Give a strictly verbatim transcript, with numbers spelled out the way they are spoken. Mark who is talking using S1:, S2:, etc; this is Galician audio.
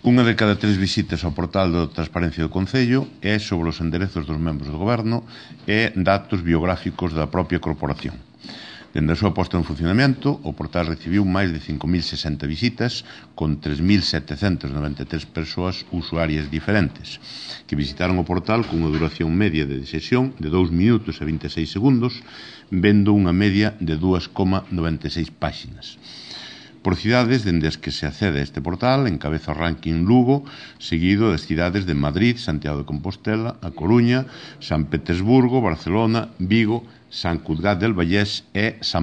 S1: Unha de cada tres visitas ao portal da Transparencia do Concello é sobre os enderezos dos membros do Goberno e datos biográficos da propia corporación. Dende a súa posta en funcionamento, o portal recibiu máis de cinco mil sesenta visitas con tres mil setecentas noventa e tres persoas usuarias diferentes que visitaron o portal con unha duración media de sesión de dous minutos e vinte e seis segundos, vendo unha media de dúas coma noventa e seis páxinas. Por cidades dende as que se accede a este portal, encabeza o ranking Lugo, seguido das cidades de Madrid, Santiago de Compostela, A Coruña, San Petersburgo, Barcelona, Vigo, San Cugat del Vallés e San